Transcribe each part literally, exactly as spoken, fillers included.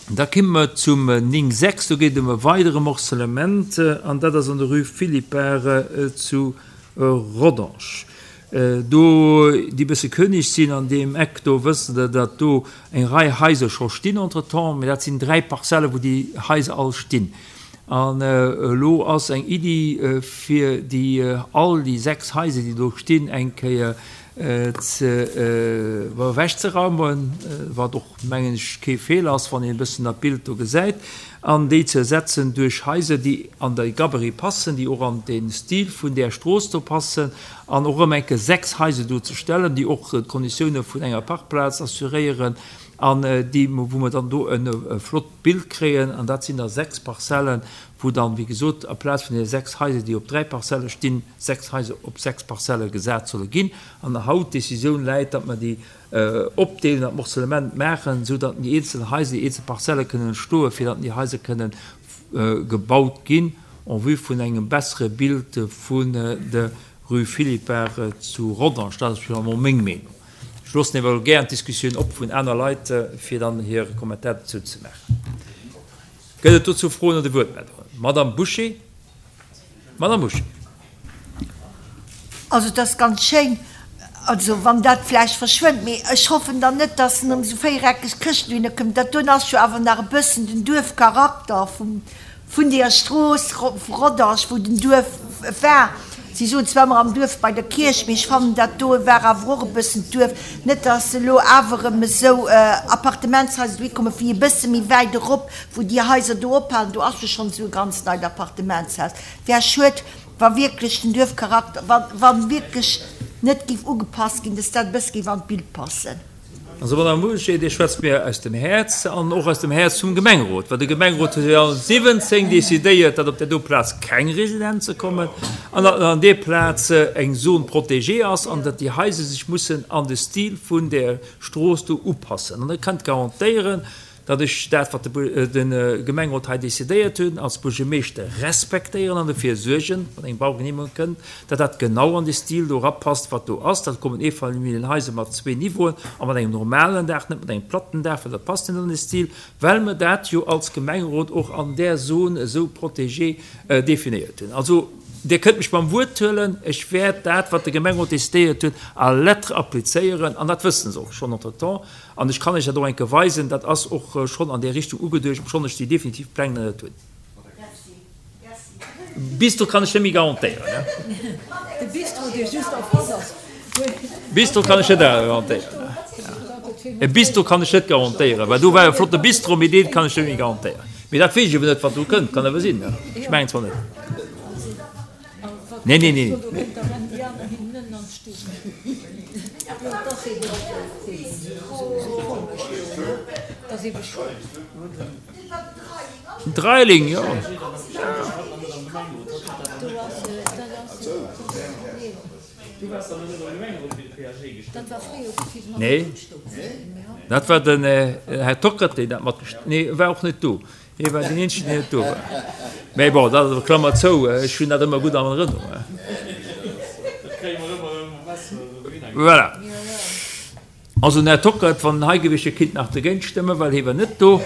Da komme mer zum néng sechs, do geet et ëm e weidere Morcellement, an dat ass an der Rue Philippart zu Rodange. Do, déi e bësse kënneg sinn an deem Eck do, wëssen der, datt do eng Rei Haiser scho stinn entretemps, mä dat sinn dräi Parzelle wou déi Haiser all stinn. An elo ass eng Iddi, fir déi all déi sechs Haiser, déi do stinn, eng Kéier ze ewechzeraumen, wat och, mengen ech, kee Feeler ass, wann een e bëssen dat Bild do gesäit, an déi ze ersetzen duerch Haiser, déi an de Gabarit passen, déi och an de Stil vun där Strooss do passen, an och erëm eng Kéier sechs Haiser do ze stellen, déi och d'Konditioune vun enger Parkplaz assuréieren an déi, wou mer dann do e flott Bild kréien. An dat sinn da sechs Parzellen, wou dann, wéi gesot, aplaz vun deene sechs Haiser, déi op dräi Parzelle stinn, sechs Haiser op sechs Parzelle gesat solle ginn. An haut d'Décisioun läit, datt mer déi opdeelen, dat Morcellement maachen, esou datt déi eenzel Haiser, déi eenzel Parzelle kënnen entstoen, fir datt déi Haiser kënnen gebaut ginn en vue vun engem bessere Bild vun der Rue Philippart zu Rodange. Dat ass finalement meng Meenung. Ech loossen awer gären d'Diskussioun op vun aner Leit, fir dann hire Kommentar dozou ze maachen. Gëtt et dozou Froen oder Wuertmeldungen? Madame Bouché. Madame Bouché. Also et ass ganz schéin, also wann dat vläicht verschwënnt, mee ech hoffen dann net, dass en ëm esou véiereckeg Këschten dohinner kënnt. Dat doen ass jo awer nach e bëssen den Duerfcharakter vum, vun deeër Strooss Rodange, wou den Duerf war. Si soen zwar ëmmer am Duerf bei der Kierch, mee ech fannen dat do war awer och e bëssen d'Duerf. Net dass elo awer erëm esou Appartementshaiser dohi kommen, wéi e bësse méi wäit erop, wou déi Haiser do ophalen. Do ass jo schonn esou e ganz neit Appartementshaus. Wär schued, wa wierklech den Duerfcharakter, wa wa wierklech net géif ugepasst ginn, dass dat e bësse géif an d'Bild passen. Also, Madame Bouché, Dir schwätzt mir aus dem Häerz an och aus dem Häerz vum Gemengerot, well de Gemengerot huet jo siwwenzéng decidéiert, datt op där do Plaz keng Residenze kommen an datt an där Plaz eng Zone protégée ass an datt déi Haiser sech mussen an de Stil vun där Strooss do upassen. An Der kënnt garantéieren, datt ech dat, wat de Gemengerot hei decidéiert hunn, als Buergermeeschter respektéieren an dofir suergen, wann eng Baugenehmegung kënnt, datt dat genau an de Stil do erapasst, wat do ass. Dat kommen Eefamilljenhaiser mat zwee Niveauen a mat engem normalen Daach, net mat engem platten Daach, well dat passt net an de Stil, well mer dat jo als Gemengerot och an där Zone esou protégée definéiert hunn. Also, Dir kënnt mech beim Wuert huelen, ech wäert dat, wat de Gemengerot decidéiert huet, à la lettre applizéieren, an dat wëssen se och schonn entretemps. An ech kann Iech dat och eng Kéier weisen, dat ass och schonn an där Richtung ugeduecht, obschonn ech déi definitiv Pläng nach net hunn. Bistro kann ech net méi garantéieren. De Bistro, dee just en face ass. Bistro kann ech net garantéieren. E Bistro kann ech net garantéieren, well do war e flotte Bistro, mee dee kann ech net méi garantéieren. Mee dat weess ech eeben net, wat do kënnt. Kann awer sinn, ech mengen zwar net. Nee, nee, nee. Dreiling, jo. Nee, dat war den Här Tockert, deen dat matgest-, nee, e war och net do. Hie war deen eenzegen, deen net do war. Mä bon, dat ass, Klammer zou, ech hunn dat ëmmer gutt an Erënnerung. Voilà. Also den Här Tockert, wann en hei gewiescht wier, kinnt nach dergéint stëmmen, well hie war net do.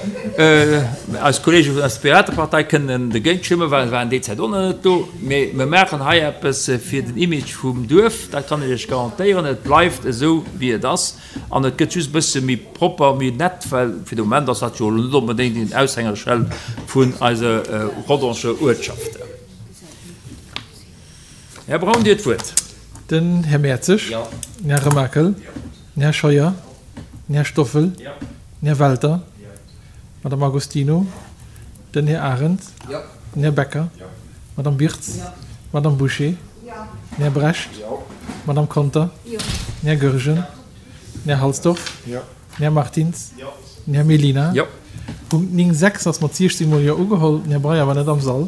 Eis Kollege vun der Piratepartei kënnen dergéint stëmmen, well se waren déi Zäit och nach net do. Mee mir maachen hei eppes fir den Image vum Duerf, dat kann ech Iech garantéieren. Et bleift esou, wéi et ass. An et gëtt just e bësse méi propper, méi nett, well fir de Moment ass dat jo elo net onbedéngt een Aushängerscheld vun eise Rodanger Uertschaften. Här Braun, Dir hutt d'Wuert. Den Här Mertzig. Den Här Remakel. Den Här Scheuer. Den Här Stoffel. Den Här Welter. D'Madame Agostino. Den Här Arendt. Den Här Becker. D'Madame Birtz. D'Madame Bouché. Den Här Brecht. D'Madame Conter. Den Här Goergen. Den Här Halsdorf. Den Här Martins. Den Här Mellina. Punkt néng sechs ass mat siechzéng mol Jo ugeholl. Den Här Breyer war net am Sall.